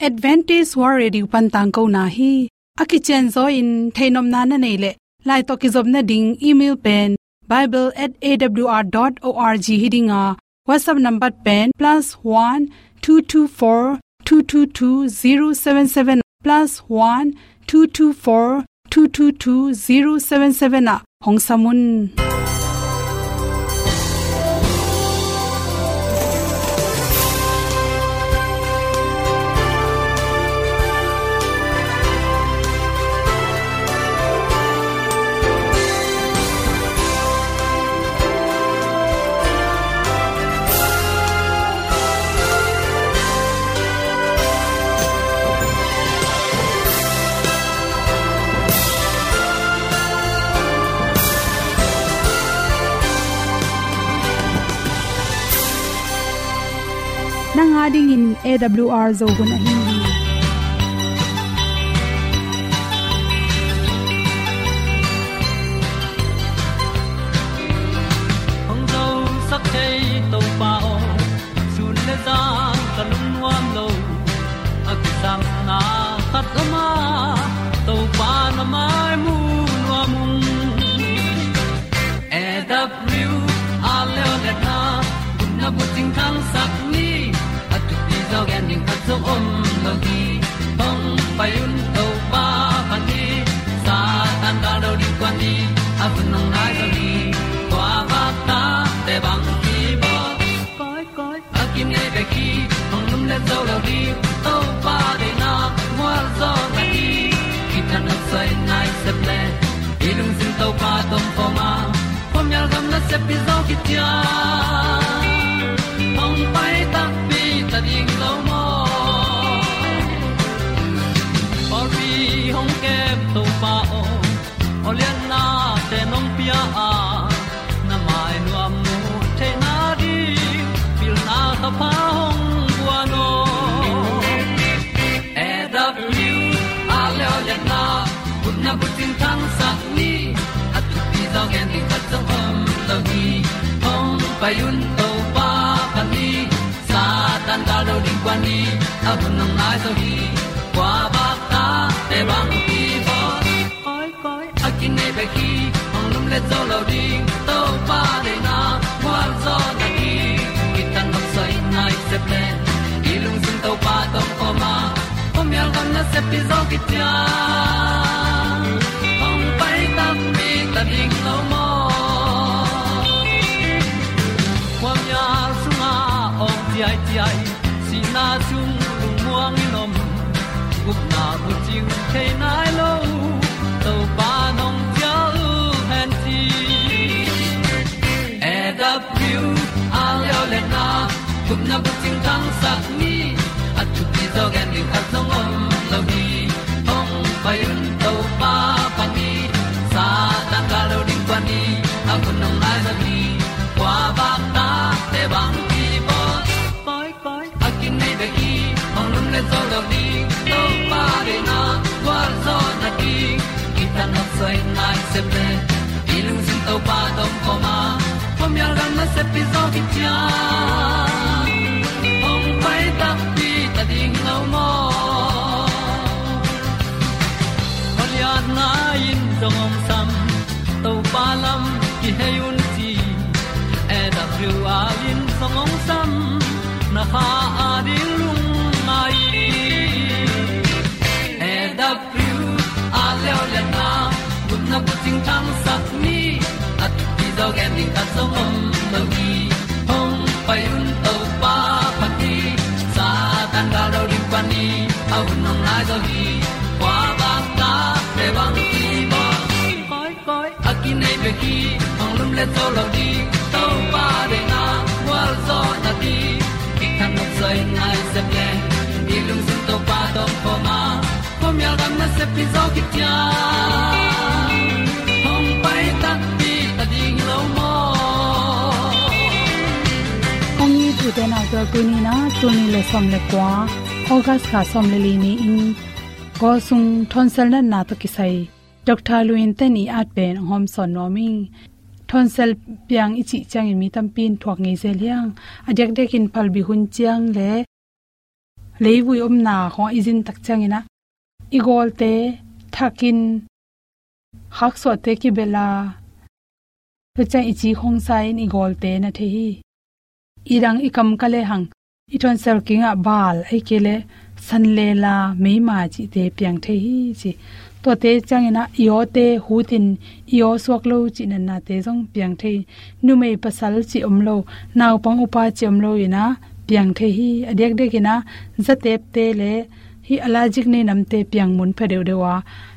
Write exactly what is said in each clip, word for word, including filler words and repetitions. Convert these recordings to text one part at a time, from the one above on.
Adventist World Radio pan tangkona hi. A kicianzaw in theihnopna na neih leh, lai tawh kizopna ding email pen bible at A W R dot org hi ding a, WhatsApp number pen plus one two two four two two two zero seven seven, plus one two two four two two two zero seven seven ah hong sam un. Nang a dingin A W R Zo hun ahi hi. Hong zosak thei Topa aw, sun le zan ka lungnuam lo. A kisapna khat om a, Topa na mai mu nuam ung. A W R Leo le na, gupna bucing thangsak ni, a thupi zaw gen ding khat zong om lo hi. Hong pai un Topa pan hi, Satan gal do ding kuan ni, a hun hong nai zo hi. Kua vak ta te bang hi baw. Koi, koi, a kinei bek hi, hong lum le zo lo ding, Topa deihna mual zaw na hi. Kitang a soi nai sep le, i lungsim Topa tawh kawm a, khuamial gam nasep pi zaw kician. Hong pai takpi ta ding lo maw. Pawlpi hong kem Topa aw, aw lianna te nong pia a, na mai nuam mu theihna ding, pilna thapha hong guan aw. A W R Leo le na, gupna bucing thangsak ni, a thupi zaw gen ding khat zong om lo hi. Hong pai un Topa pan hi, Satan gal do ding kuan ni, a hun hong nai zo hi. Kua vak ta te bang hi baw. Koi, koi, a kinei bek hi, hong lum le zo lo ding, Topa deihna mual zaw na hi. Kitang a soi nai sep le, i lungsim Topa tawh kawm a, khuamial gam nasep pi zaw kician. Hong pai takpi ta ding lo maw. Khuamial sungah awng ciaiciai, sihna sung lungmuang in om, gupna bucing thei nai lo, Topa nong cial hen ci. A W R Leo le na, gupna bucing thangsak ni, a thupi zaw gen ding khat zong om lo hi. Hong pai un Topa pan hi, Satan gal do ding kuan ni, a hun hong nai zo hi. Kua vak ta te bang hi baw. Koi, koi, a kinei bek hi, hong lum le zo lo ding, Topa deihna gual zaw na hi. Kitang a soi nai sep le, i lungsim Topa tawh kawm a, khuamial gam nasep pi zaw kician. Hong pai takpi ta ding lo maw. Khualiatna in zong hong sam, Topa lam kihei un ci. A W R in zong hong sam, na kha a ding lungngai. A W R Leo le na, gupna bucing thangsak ni, a thupi zaw gen ding khat zong om lo hi. Hong pai un Topa pan hi, Satan gal do ding kuan ni, a hun hong nai zo hi. Kua vak ta te bang hi baw. Koi, koi, a kinei bek hi, hong lum le zo lo ding, Topa deihna gual zaw na hi. Kitang a soi nai sep le, i lungsim Topa tawh kawm a, khuamial gam nasep pi zaw kician. Hong pai takpi ta ding lo maw. Hong it u te nau te, tuni na, tul nih le sawm le kua, August kha sawm le li ni-in, Kawl sung thonsel natna tawh kisai Doctor Lu In Ten i at pen hong hawmsawn nuam ing. Thonsel piang i cih ciangin mi tampi in thuak ngei zel hi hang. A diakdiakin phalbi hun ciang le leivui omna khawng i zin tak ciangin ah, i gawlte thakin, khaksuahte kibel a, tua ciang i ci khong sa in i gawlte na thei hi. I dang i kam ka lehang, i tawnsel kingah bal, ahih kei leh sanlela, meima cihte piang thei hi ci. Tuate ciangin ah i awte hutin i aw suak lo cih natnate zong piang thei hi. Numei pasal cih om lo, naupang upa cih om lo in ah piang thei hi. A diakdiakin ah zatepte le hih allergic nei namte piang mun pha deuhdeuh a,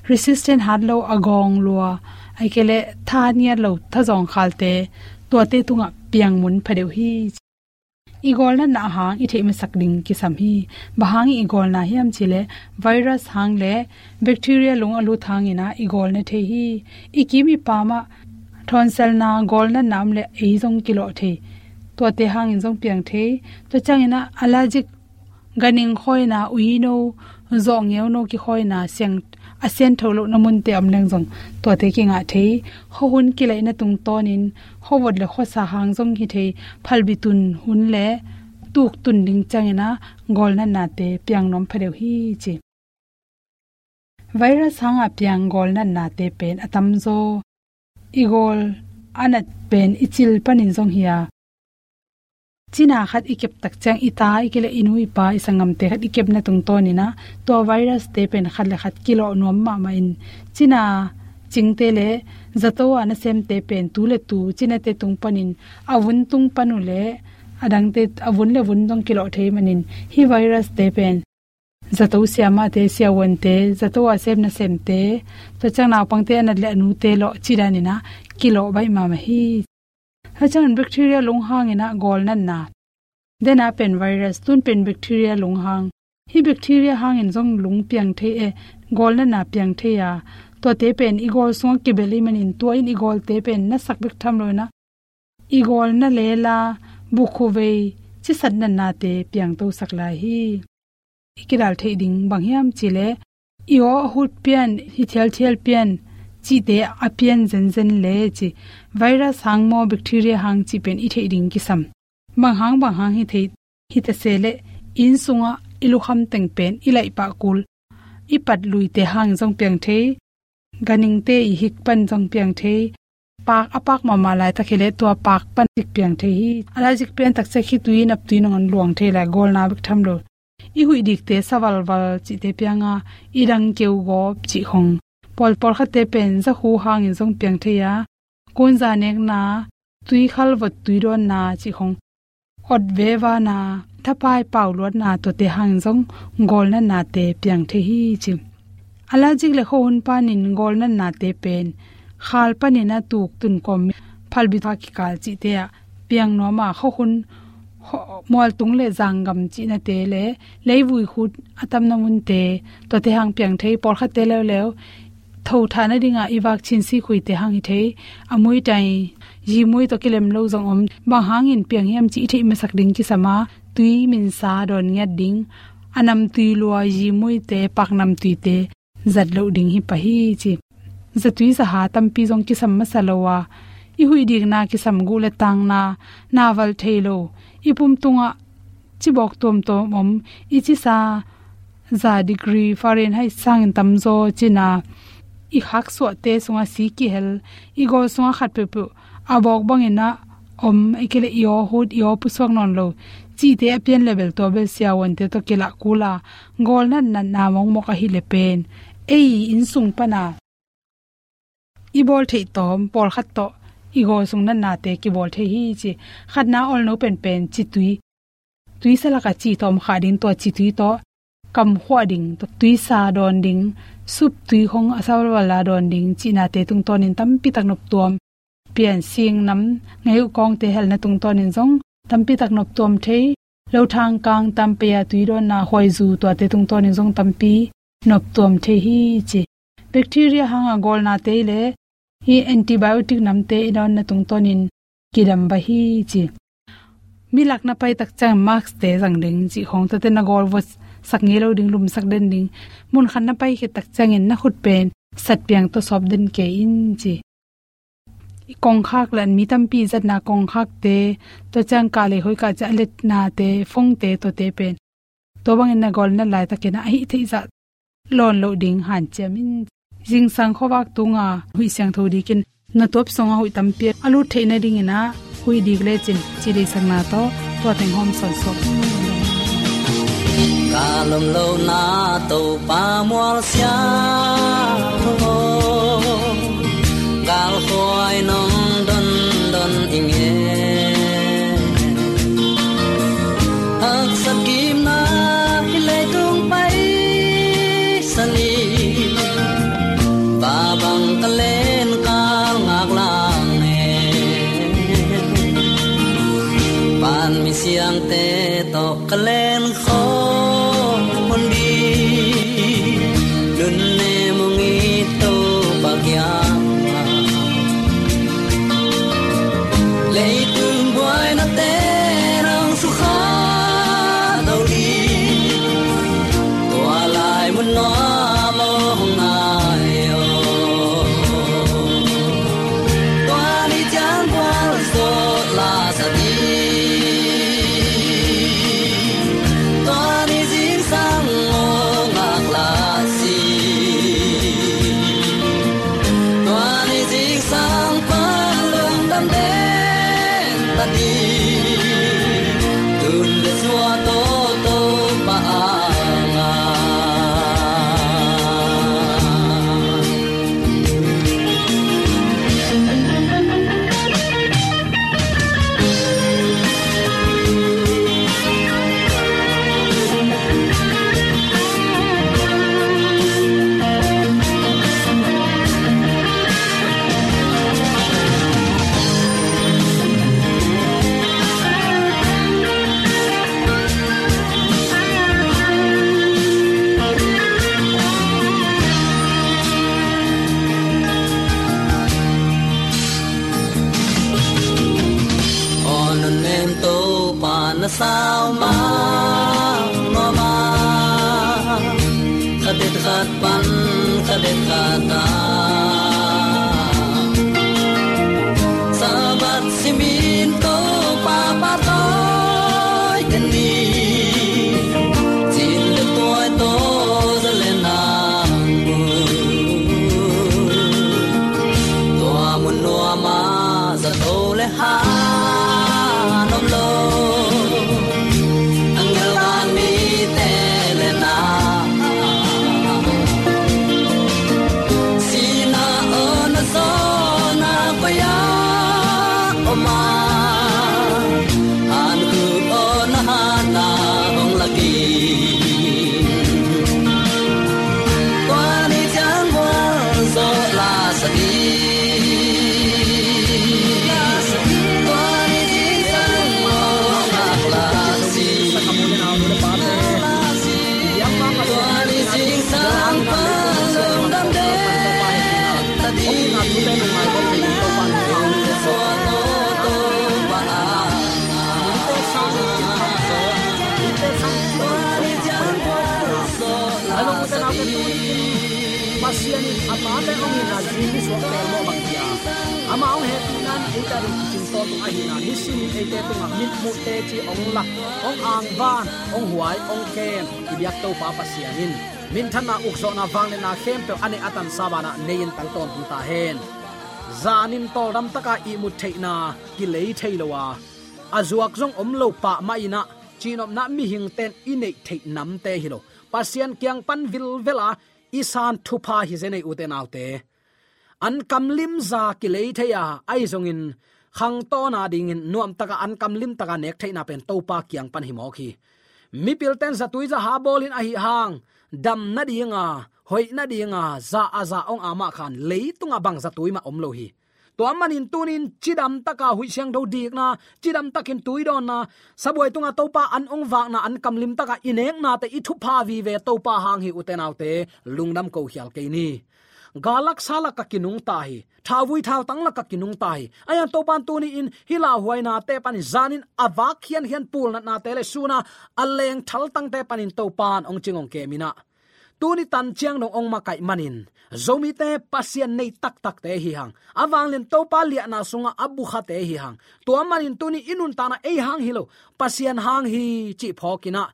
resistant hat lo, a gawng lua, ahih kei leh tha ngiat lo, thazawng khalte, tuate tungah piang mun pha deuh hi. I gawlnatna hang i theih masak ding kisam hi. Bang hang i gawlna hiam cih leh virus hang le bacteria lung a lut hangin ah i gawlna thei hi. I kim i pam ah thawnselna, gawlnatna om leh ei zong kilawh thei. Tuate hangin zong piang thei. Tua ciangin ah allergic, ganhing khawina, uino, zawh ngeuno kikhawina, siang, a siangtho lohna munte om leng zong tuate kingah thei. Khuahun kilaihna tungtawnin khuavot le khuasa hang zong hi thei. Phalbi tun hun le tuk tun ding ciangin ah gawlnatnate piang nuam pha deuh hi ci. Virus hanga piang gawlnatnate pen a tamzaw i gawl a nat pen i cil panin zong hi a, cina khat i kep tak ciang i ta, ahih kei leh i nu i pa, i sanggamte khat i kepna tungtawnin ah tua virus-te pen khat le khat kilawh nuam mahmah in, cina cingte le zato a nasemte pen tu le tu cinate tung panin, a vun tung pan uh leh a dangte, a vun le vun zong kilawh thei manin, hih virus-te pen zato siamahte, siavuante, zato a sem nasemte, tua ciang naupangte a nat le a nute lawh cih danin ah kilawh baih mahmah hi. Tua ciangin bacteria lung hangin ah gawlnatna, dena pen virus, tun pen bacteria lung hang. Hih bacteria hangin zong lung piang thei e, gawlnatna piang thei a, tuate pen i gawl sungah kibel ahih manin tua in i gawlte pen nasak bek tham loin ah i gawl na lela, bukkhuh vei, cisat natnate piangtosak lai hi. I kidal theih ding bang hiam cih leh, i aw a hut pian, hi thialthial pian, cihte a pian zenzen le ci, virus hang maw, bacteria hang cih pen i theih ding kisam. Bang hang bang hang hi thei, hi ta se leh, inn sungah i lukham teng pen i laih pah kul, i pat luite hang zong piang thei, ganhingte i hik pan zong piang thei, pak a pak mahmah laitak hi leh tua pak pan hik piang thei hi. Allergic pian tak ciang khitui, naptui nangawn luang thei lai, gawlna bek tham lo. I huih dikte sa valval cihte piang a, i dang keu gawp cih khong. Pawl, pawlkhatte pen zakhu hangin zong piang thei a, kunza nekna, tuikhal vot tui dawnna cih khong, awt vevana, thapai pau luatna, tuate hangin zong gawlnatnate piang thei hi ci. Allergic le khuahun panin gawlnatnate pen khal panin a tuk, tun kawm, phalbi tha kikal cihte ah piang nuam a, khuahun, khuah, mualtung le zanggam cihnate le leivui khut a tamna munte, tuate hang piang thei. Pawlkhatte leuleu thothahna dingah i vak chin sikhuite hang hi thei. A muitai, zimui tawh kilem lo zong om. Bang hangin piang hiam cih i theih masak ding kisam a, tui minsa dawn ngiat ding, a namtui lua, zimuite, paknamtuite zat loh ding hi pah hi ci. Zatui zaha tampi zong kisam masa lo a, i huih dikna kisam, guh le tangna, na valh thei lo, i pum tungah cibawk tuamtuam om, i cisa za degree Fahrenheit sangin tamzaw cina, i khaksuahte sungah si kihel, i gawl sungah khat peuhpeuh a bawk bangin ah om, ahih kei leh i aw hut, i aw pusuak nawn lo cihte a pian le bel, tua bel siavuante tawh kilah kul a, gawlnat natna mawkmawk ahih leh pen ei inn sung pana i bawl theih tawm pawlkhat tawh i gawl sung natnate kibawl thei hi ci. Khatna, awlno penpen citui, tuisa lakah ci tawm khah ding, tua citui tawh kamkhuah ding, tua tuisa dawn ding, sup tui khong a sa valval a dawn ding cihnate tungtawnin tampitak noptuam. Pian, sing nam, ngei uh kawngte helna tungtawnin zong tampitak noptuam thei. Lothang kang, tampei a tui dawnna, huaizu, tuate tungtawnin zong tampi noptuam thei hi ci. Bacteria hanga gawlnate le hih antibiotic namte i dawnna tungtawnin kidam va hi ci. Mi lak na pai tak ciangin mask-te zang ding cih khong, tuate na gawl votsak ngei lo ding, lumsak den ding. Munkhat na pai khit tak ciangin na khut pen satpiang tawh sawp den kei in ci. I kongkhak le an mi tampi zatna kongkhakte, tua ciang kah le hoi kah ciang a letnate, phone-te, tuate pen Tua bangin na gawlna laitakin a hih theih zah lawn loh ding hanciam in. Zingsang khuavak tunga huih siangtho dikin na tuap sungah huih tampi a lut theih nadingin ah huih dik lecin ci deihsakna tawh tua teng hawm sawnsuak. Ka lomlona Topa mualsia aw, galkhuai nong dondon i ngen. Haksat kimna hih leitung paisan i, va bang ka len kal ngak lang e. Pan mi siangte tawh ka len khawm hun ding, nunnem hong it Topa kiangah. Leitung buainate nong sukha lo ding, tua lai mun nuam aw hong nai aw. Tua ni ciang gualzawh la sa ding, tua ni zingsang aw ngak la si. Tua ni zingsang pan lungdam den ta ding, tun le suah tawh Topa a ngah. Aw nunnem Topa na sau mah nuam a, khadet khat pan khadet khat a, Sabbath simin Topa pahtawi den ni, cin le tuai tawh za le nang bu. Tua mun nuam ah zato le han om lo, a ngelhdan mite le na, sihna aw na zawhna koi ah om a, hankhuk aw na hatna hong lak in. Tua ni ciang gualzawh la sa ding, tua ni zingsang aw ngak la si. Tua ni zingsang pan lungdam den ta ding. Pasian in a tate hong itna zing i suak pelmawh bang hi a, amah hong hehpihna in eite ading kicing tawntung ahihna, nisimin eite tungah mitmuh teci hong lak, hong angvan, hong huai, hong kem i biak Topa Pasian in minthanna, ukzawhna, vangliatna khempeuh a neih a tansa banah nei-in tang tawntung ta hen. Zanin tawldam taka ihmut theihna kilei thei lo a, a zuak zong om lo pah mah in ah, cihnopna mihingte in i neih theih namte hi lo, Pasian kiang pan vilvel a i san thupha hi zen ei, ute naute. An kam limza kilei thei a, ahi zongin khangtawn adingin nuamtaka an kam limtaka nek theihna pen Topa kiang pan hi mawk hi. Mipilte in zatui zaha bawlin ahi hang, dam nadinga, hoih nadinga za a za hong a mah khan leitungah bang zatui mah om lo hi. Tua manin tunin cidamtaka huih siangtho dikna, cidamtakin tuidawnna, sabuai tunga Topa an hong vakna, an kam limtaka i neknate i thupha vive Topa hang hi, ute naute, lungdam ko khial kei ni. Gal lak sa laka kinungta hi. Thauvui thautang laka kinungta hi. Ahi hang Topa in tuni-in hih lauhuainate panin, zanin a vak khiankhian pulnatnate le suna a leng thaltangte panin Topa in hong cing hong kem in ah, tuni tan ciang dong hong makaih manin, Zomite Pasian nei taktakte hi hang. A vanglian Topa liahna sungah a bukhate hi hang. Tua manin tuni i nuntakna ei hang hi lo, Pasian hang hi cih phawk in ah,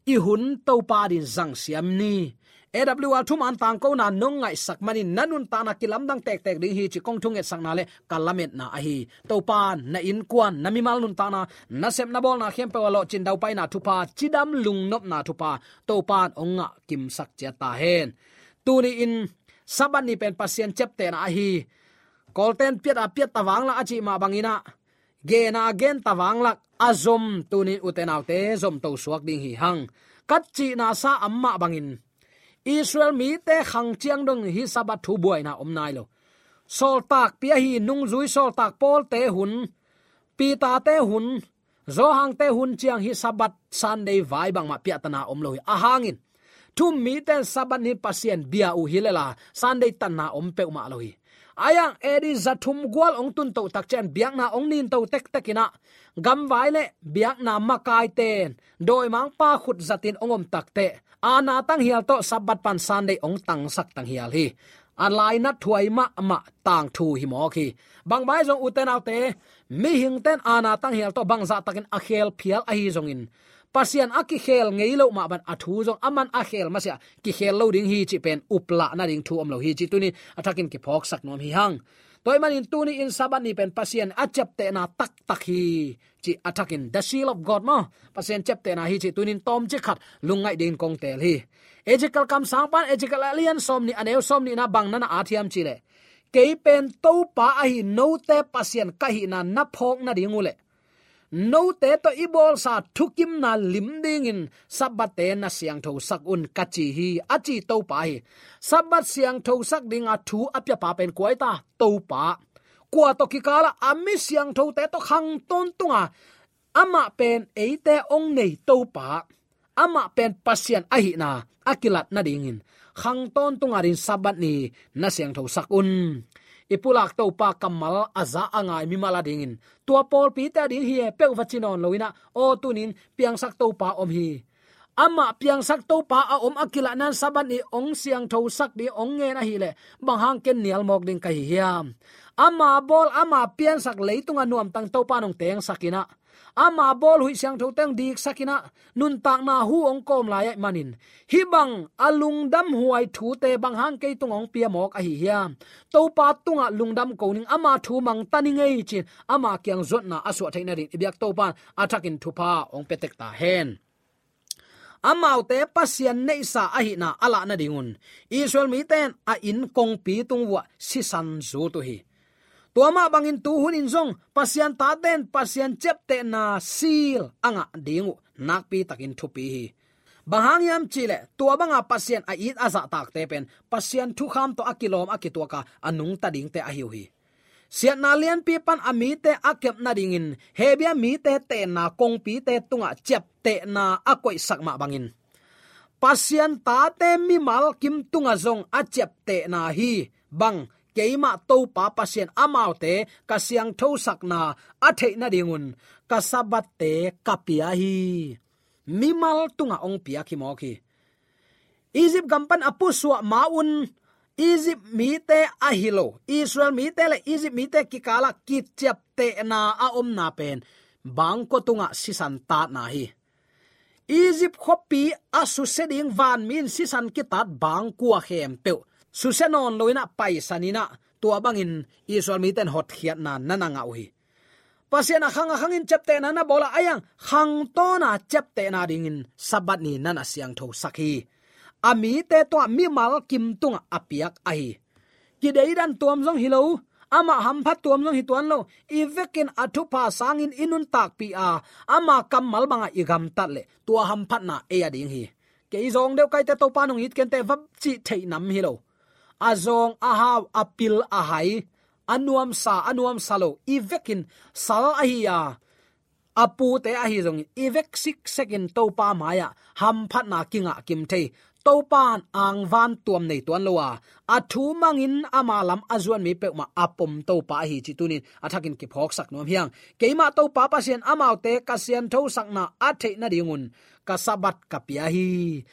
i hun Topa adingin zangsiam ni. A W R thuman tangkona nong ngaihsak manin na nuntakna kilamdang tektek ding hi ci kong thungetsakna le ka lametna ahi. Topa na innkuan, na mimal nuntakna, na sepna bawlna khempeuh ah lawhcin daupaina thupha, cidam lungnopna thupha Topa in hong ngah kimsak ciat ta hen. Tuni-in Sabbath ni pen Pasian ciaptehna ahi. Kawlten piat a piat ta vanglak a cih mah bangin ah, gen a gen ta vanglak a zom, tuni-in ute naute zomto suak ding hi hang. Ka cihna sa a mah bangin Israel mite khang ciang dong hih Sabbath thu buaina om nai lo. Sawltakpi ahi nungzui sawltak Pawlte hun, Peter-te hun, Johan-te hun ciang hih Sabbath Sunday vai bangmah piahtana om lo hi. A hangin thu-um mite in Sabbath ni Pasian bia uh hi lel a, Sunday tanna om peuhmah lo hi. Ahi hang A D za thum gual hong tun toh tak ciang biakna hong nin to tektek in ah, gamvai le biakna makaite in dawimangpa khut zatin hong om tak teh, aana tanghial tawh Sabbath pan Sunday hong tangsak tanghial hi. A lainat huai mahmah tangthu hi mawk hi. Bang bang zong ute naute, mihingte in aana tanghial tawh bangzah takin a khel phial ahi zongin, Pasian a kikhel ngei loh mah bangin a thu zong aman a khel masiah kikhel lo ding hi cih pen uplah nading thu om lo hi cih tuni-in a thakin kiphawksak nuam hi hang. Tua ahih manin tuni-in Sabbath ni pen Pasian a ciaptehna taktak hi cih a thakin, the seal of God maw, Pasian ciaptehna hi cih tuni-in tawmcik khat lungngaih dingin kong teel hi. Ezekiel kamsangpa in Ezekiel a lian sawmnih a neu sawmnihna bang na na at hiam cih leh, kei pen Topa ahi note Pasian ka hihna na phawk nading uh leh, note tawh i bawlsa thukimna lim dingin Sabbath-te na siangthosak un ka ci hi, a ci Topa hi. Sabbath siangthosak dinga thu a piapa pen kua hi ta? Topa. Kua tawh kikal ah? A mi siangthote tawh khang tawntunga amah pen eite hong nei Topa, amah pen Pasian ahihna a kilat nadingin khang tawntung adingin Sabbath ni na siangthosak un. I pulak Topa kammal a za a ngai mimal adingin, tua pawlpite ading hi e peuh va ci nawn lo in ah, aw tuni-in piangsak Topa om hi. Amah piangsak Topa a om a kilatna-in Sabbath ni hong siangthosak ding hong ngen ahih leh, bang hang ken nial mawk ding ka hi hiam? Ama bawl, ama piansak leitunga nuamtang Topa in hong tengsak in ah, ama bawl huih siangthote hong diksak in ah, nuntakna hu hong kawm lai ahih manin, hih bang a lungdamhuai thute bang hang kei tungah hong pia mawk ahi hiam? Topa tungah lungdam ko ning, ama thu mangta ning ei ci-in ama kiang zuatna a suah theih nadingin i biak Topa in a thakin thupha hong pia tek ta hen. Amaute Pasian neihsa ahihna a lah nadingun Israel mite in a inn kongpi tung vuah sisan zut uh hi. Tua mah bangin tu hunin zong Pasian tate in Pasian ciaptehna seal a ngah ding uh nakpi takin thupi hi. Bang hang hiam cih leh, tua banga Pasian a it a zahtakte pen Pasian thukham tawh a kilawm a kituak a, a nungta dingte ahi uh hi. Siatna lianpi pan a mite a kep nadingin Hebru mite tenna kongpite tungah ciaptehna a koihsak mah bangin, Pasian tate mimal kim tungah zong a ciaptehna hi. Bang, keimah Topa Pasian amaute ka siangthosakna a theih nadingun ka Sabbath-te ka pia hi. Mimal tungah hong piak hi mawk hi. Egypt gam pan a pusuah ma-un, Egypt mite ahi lo, Israel mite le Egypt mite kikalah kiciaptehna a omna pen bangkua tungah sisan tatna hi. Egypt khuapi a susia ding vanmi in sisan kitat bangkua khempeuh susia nawn lo in ah paisan in ah, tua bangin Israel mite in hotkhiatna na na ngah uh hi. Pasian a khang a khangin ciaptehna na bawl a, ahi hang khangtawna ciaptehna dingin Sabbath ni na na siangthosak hi. A mite tungah mimal kim tungah a piak ahi. Kideidan tuam zong hi lo, amah hamphat tuam zong hi tuan lo, i vekin a thupha sangin i nuntakpih a, ama kammal bangah i gamtat leh tua hamphatna ei a ding hi. Kei zawng deuh kaite Topa nong it kei inteh va cih theih nam hi lo. A zawng a hau, a pil a hai, a nuamsa a nuamsa lo, i vekin sal ahi a, a pute ahi zongin i vek siksekin Topa mai-ah hamphatna kingah kim thei. Topa in angvan tuam nei tuan lo a, a thu mangin ama lam a zuanmi peuhmah a pom Topa ahi cih tunin a thakin kiphawksak nuam hi hang. Keimah Topa Pasian amaute ka sianthosakna a theih nadingun ka Sabbath ka pia hi.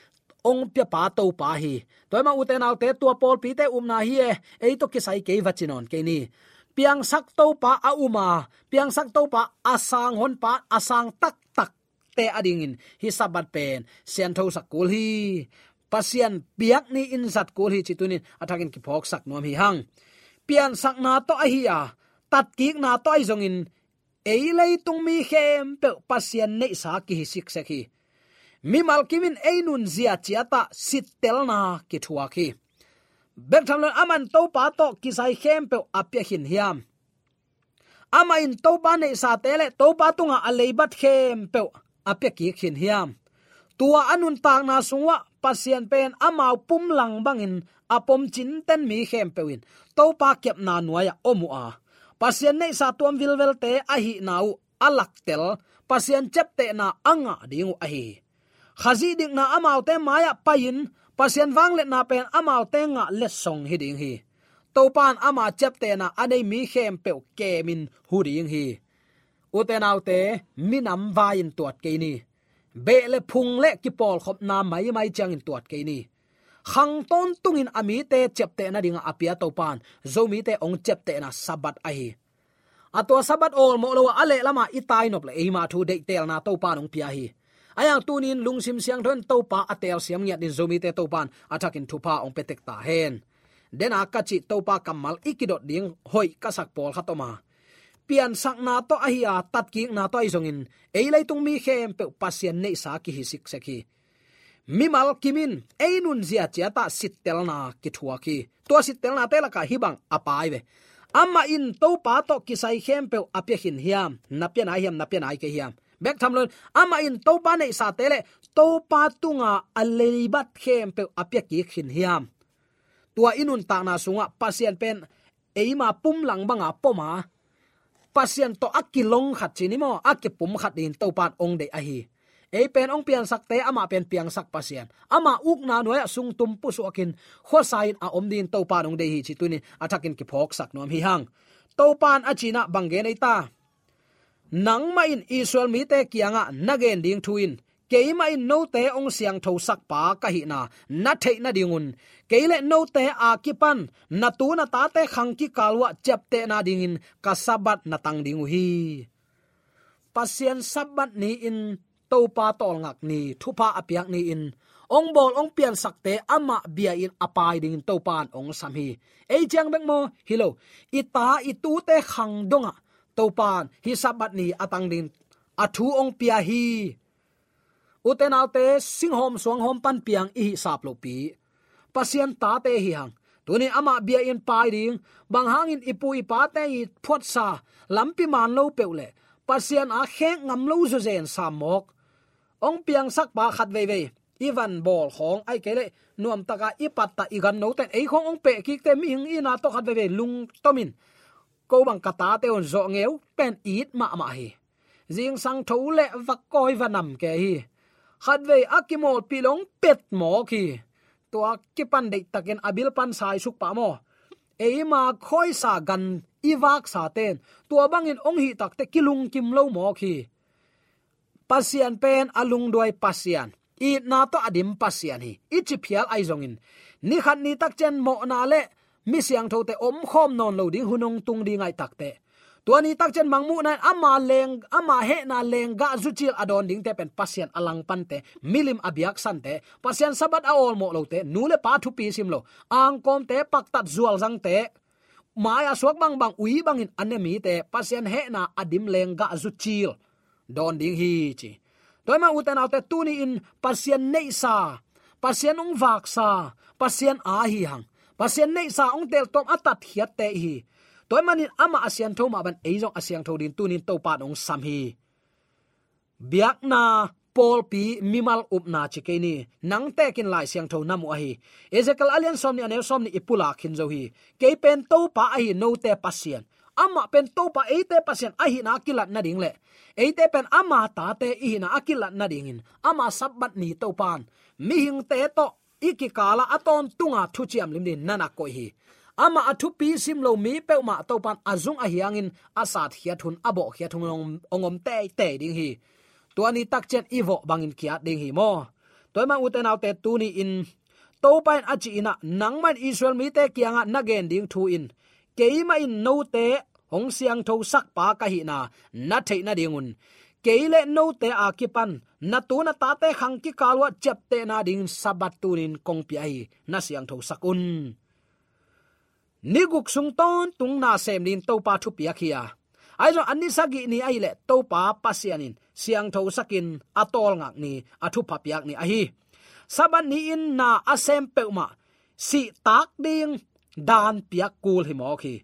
Hong piapa Topa hi. Tua ahih manin ute naute, tua pawlpite upna hi e, ei tawh kisai kei va ci nawn kei ni. Piangsak Topa a um a, piangsak Topa a sang honpa, a sang taktak te adingin hih Sabbath pen sianthosak kul hi. Pasian biakni in zat kul hi cih tuni-in a thakin kiphawksak nuam hi hang. Piansakna tawh ahi a, tatkikna tawh ahi zongin ei leitung mi khempeuh Pasian neihsa kihi siksek hi. Mimal kimin ei nunzia ciatah sittelna kithuak hi. Bek tham loin amah in Topa tawh kisai khempeuh a pia khin hiam? Amah in Topa neihsate le Topa tungah a leibat khempeuh a pia kik khin hiam? Tua a nuntakna sungah Pasian pen amau pumlang bangin a pom cinten mi khempeuh in Topa kepna nuai-ah om uh a, Pasian neihsa tuam vilvelte ahihna uh a laktel, Pasian ciaptehna a ngah ding uh ahi hi. Khazih dikna amaute mai-ah pai-in Pasian vangliatna pen amaute ngah letsong hi ding hi. Topa in ama ciaptehna a nei mi khempeuh kemin hu ding hi. Ute naute, minam vai-in tuat kei ni. Beh le phung le kipawlkhopna maimai ciangin tuat kei ni. Khang tawntungin a mite ciapteh nadingah a pia Topa in Zomite hong ciaptehna Sabbath ahi. A tua Sabbath awlmawh lo-a a lehlama i tainop le eima thu deihtelna Topa in hong pia hi. Ahi hang tuni-in lungsim siangtho in Topa a telsiam ngiat in Zomite Topa in a thakin thupha hong pia tek ta hen. Dena ka cih Topa kammal i kidot ding hoih ka sak pawlkhat om a, piansakna tawh ahi a, tatkikna tawh ahi zongin ei leitung mi khempeuh Pasian neihsa kihi siksek hi. Mimal kimin ei nunzia ciatah sittelna kithuak hi. Tua sittelnate lakah hih bang a pai ve. Amah in Topa tawh kisai khempeuh a pia khin hiam? Na pia nai hiam, na pia nai kei hiam? Bek tham loin amah in Topa neihsate le Topa tunga a leibat khempeuh a pia kik khin hiam? Tua i nuntakna sungah Pasian pen eima pumlang banga pom a, Pasian tawh a kilong khat ci ni maw, a kipum khat dingin Topa in hong deih ahi. Ei pen hong piansakte amah pen piangsak Pasian, ama ukna nuai-ah sungtum pusuakin khuasa-in a om dingin Topa in hong deih hi cih tuni-in a thakin kiphawksak nuam hi hang. Topa in a cih in ah bang gen ei ta? Nangmah in Israel mite kiangah na gen ding thu in, keimah in note hong siangthosakpa ka hihna na theih nadingun, kei le note a kipan na tu na tate khang kikal uhah ciaptehna dingin ka Sabbath na tang ding uh hi. Pasian Sabbath ni-in Topa tawlngak ni, thupha a piak ni-in hong bawl hong piansakte amah bia-in a pai dingin Topa in hong sam hi. Ei ciang bek maw? Hi lo. I ta i tute khang dongah Topa in hih Sabbath ni a tang dingin a thu hong pia hi. Ute naute, singhawm suanghawm pan piang i hih sap lohpi, Pasian tate hi hang. Tuni amah bia-in pai ding, bang hangin i pu i pate i phuatsa lampi man lo peuh le Pasian a khek ngam lo zawzen sam mawk hong piangsakpa khat veivei i van bawl khawng, ahih kei leh nuamtaka i pattah i gannoten ei khawng hong pehkikte mihing itna tawh khat veivei lungtomin, ko bang ka tate un zawh ngeu pen it mahmah hi. Zingsang tho le va kawi va nam kei hi. Khatvei a kimawlpih lo hong pet mawk hi. Tua kipan deihtakin a bil pan saisuk pah maw? Eima khawisa gan i vaksaten tua bangin hong hih takte kilungkim lo mawk hi. Pasian pen a lungduai Pasian, itna tawh a dim Pasian hi. I ciphial ahi zongin, ni khat ni takciang mawhna le mi siangthote omkhawm nawn lo ding hun hong tung ding ahih takte, tua ni takciang mangmuhna in ama leng, ama hehna lenggah zucil a dawn dingte pen Pasian a langpante, milim a biaksante, Pasian Sabbath a awlmawh lote, nu le pa thupi sim lo, angkawmte, paktat zualzangte, mai-a suak bangbang ui bangin a ne mite Pasian hehna a dim lenggah zucil dawn ding hi ci. Tua ahih man ute naute, tuni-in Pasian neihsa, Pasian hong vaksa, Pasian a hi hang, Pasian neihsa hong teltawm a tatkhiatte i hi. Tua ahih manin amah a siantho mah bangin ei zong a siangtho dingin tuni-in Topa in hong sam hi. Biakna, pawlpi, mimal upna ci kei ni. Nang tekin Lai Siangtho na mu ahi. Ezekiel a lian sawmnih a neu sawmnih i pulak khin zo hi. Kei pen Topa ahi, note Pasian. Amah pen Topa, eite Pasian ahihna a kilat nading le eite pen ama tate i hihna a kilat nadingin ama Sabbath ni Topa in mihingte tawh i kikalah a tawntunga thuciam lim dingin na na koih hi. Amah a thupi sim lo mi peuhmah Topa in a zung a hiangin a satkhiat hun, a bawhkhiat hun hong, hong om teitei ding hi. Tua ni takciang i vawh bangin ki-at ding hi maw? Tua ahih man ute naute, tuni-in Topa in a cih in ah, nangmah in Israel mite kiangah na gen ding thu in, keimah in note hong siangthosakpa ka hihna na theih nadingun, kei le note a kipan na tu na tate khang kikal uah ciaptehna dingin Sabbath tunin kong pia hi, na siangthosak un. Ni guk sung tawntung na sem dingin Topa thupiak hi a, ahi zong a ni sagih ni ahih leh Topa Pasian in siangthosakin a tawlngak ni, a thupha piak ni ahi. Sabbath ni-in na a sem peuhmah sihtak ding dan piak kul hi mawk hi.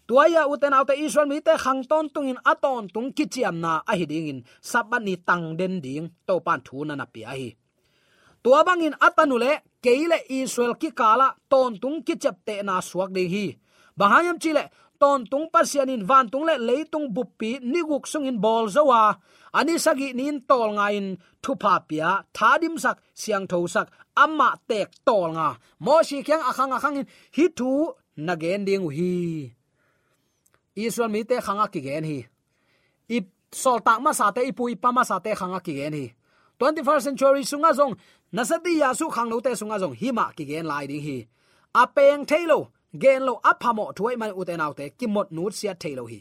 Tua hi a, ute naute, Israel mite khang tawntungin a tawntung kiciamna ahi dingin Sabbath ni tang den ding Topan thu na na pia hi. Tua bangin a tanu le kei le Israel kikalah tawntung kiciaptehna suak ding hi. Bang hang hiam cih leh tawntung Pasian in vantung le leitung buppi ni guk sungin bawl zo a, a ni sagih ni-in tawlnga-in thupha pia, thadimsak, siangthosak, amah teek tawlnga, Mosi kiang a khang a khangin hih thu na gen ding uh hi. Israel mite khang a kigen hi. I sawltak masate, i pu i pa masate khang a kigen hi. Twenty-first century sungah zong, Nasati Yasu khangnote sungah zong himah kigen lai ding hi. A peng thei lo, gen lo, a phamawh thu ahih manin, ute naute, kimot nutsiat thei lo hi.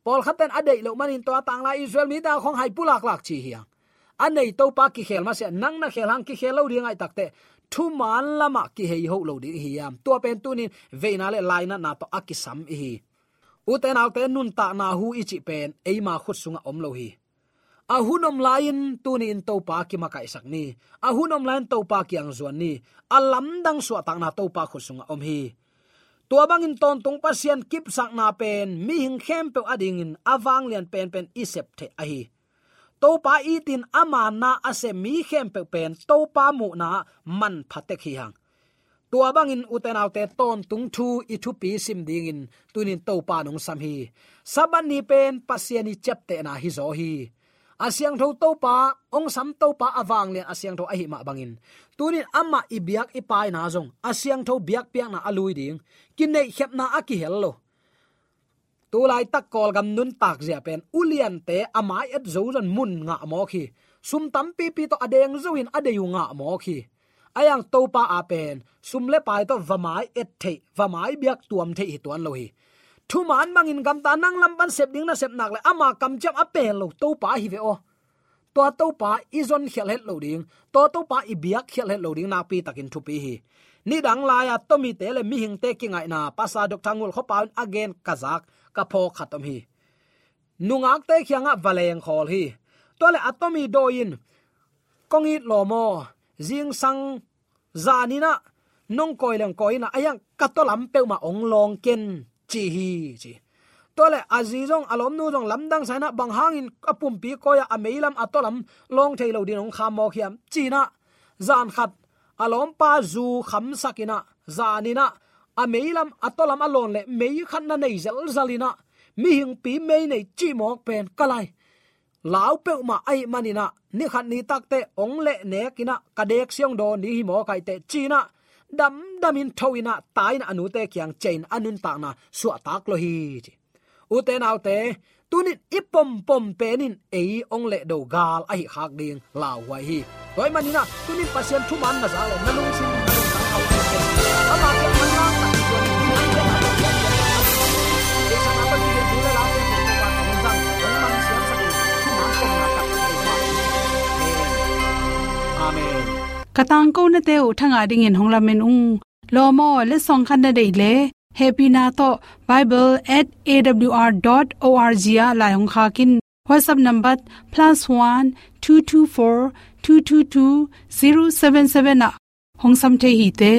Pawlkhatten a deih loh manin tua tanglai Israel mite a khong hai pulaklak ci hi hang. A nei Topa kikhel masiah, nang na khel hang, kikhel lo ding ahih takteh thuman lamah kihei hoh lo ding i hi hiam? Tua pen tunin veina le lainatna tawh a kisam i hi. Ute naute, nuntakna hu i cih pen eima khut sungah om lo hi. A hun om lai-in tuni-in Topa kimakaihsak ni. A hun om lai-in Topa kiang zuan ni. A lamdang suahtakna Topa khut sungah om hi. Tua bangin tawntung Pasian kipsakna pen mihing khempeuh adingin a vanglian penpen i sep theih ahi. Topa itin a manna a sem mi khempeuh pen Topa muhna manpha tek hi hang. Tua bangin, ute naute, tawntung thu i thupi sim dingin tunin Topa nong sam hi. Sabbath ni pen Pasian i ciaptehna hi zaw hi. A siangtho Topa, hong sam Topa a vanglian a siangtho ahih mah bangin, tunin amah i biak i paina zong a siangtho biakpiakna a lui ding, kineihkhepna a kihel lo. Tulaitak Kawlgam nuntak zia pen uliante a mai et zo zong mun ngah mawk hi. Sum tampipi tawh a deng zo in a dei uh ngah mawk hi. A yang Topa a pen sum le pai tawh va mai et theih, va mai biak tuam theih hi tuan lo hi. Thuman bangin gamta nang lam pan sep ding na sep nak le ama kamciam a pel lo Topa hi ve aw. Tua Topa i zon khialh het lo ding, tua Topa i biak khialh het lo ding nakpi takin thupi hi. Nidang lai-a Tomite le mihingte kingaihna Pastor Doctor Ngul Khuapau in a gen ka zak, ka phawk khat om hi. Nungakte kiangah va lengkhawl hi. Tua le a Tomi dawi in, "Kong it lawm aw, zingsang zaninah nong kawi leng kawi inah a hiang ka tawlam peuhmah hong lawng ken," ci hi, ci. Tua le a zi zong a lawmnu zong lamdang sa inah bang hangin a pumpi kawi-ah a meilam a tawlam lawng thei lo din hong kham mawk hiam ci inah, zan khat a lawmpa zu khamsak inah, zaninah a meilam a tawlam a lawn le mei khat na nei zelzal inah, mihingpi mei nei cih mawk pen ka lai lau peuhmah ahih maninah, ni khat ni takteh hong leh nek inah ka deek siang dawn ding hi mawk aih teh ci inah, damdamin tho inah, tai inah a nute kiang ciah in a nuntakna suahtak lo hi, ci. Ute naute, tunin i pompom pen in ei hong lehdo gal ahi khak ding lauhuai hi. Tua ahih maninah tunin Pasian thuman na zak le na lungsim na lungtang khauh hi. Ama kiang manlang tak hi tuan in, Amen. Ka tangkonate uh thangah dingin hong lamen ung. Lawm aw, letsong khat na deih le hehpihna tawh bible at A W R dot O R G ah lai hong khak in. WhatsApp number plus one two two four two two two zero seven seven ah hong sam thei hi te.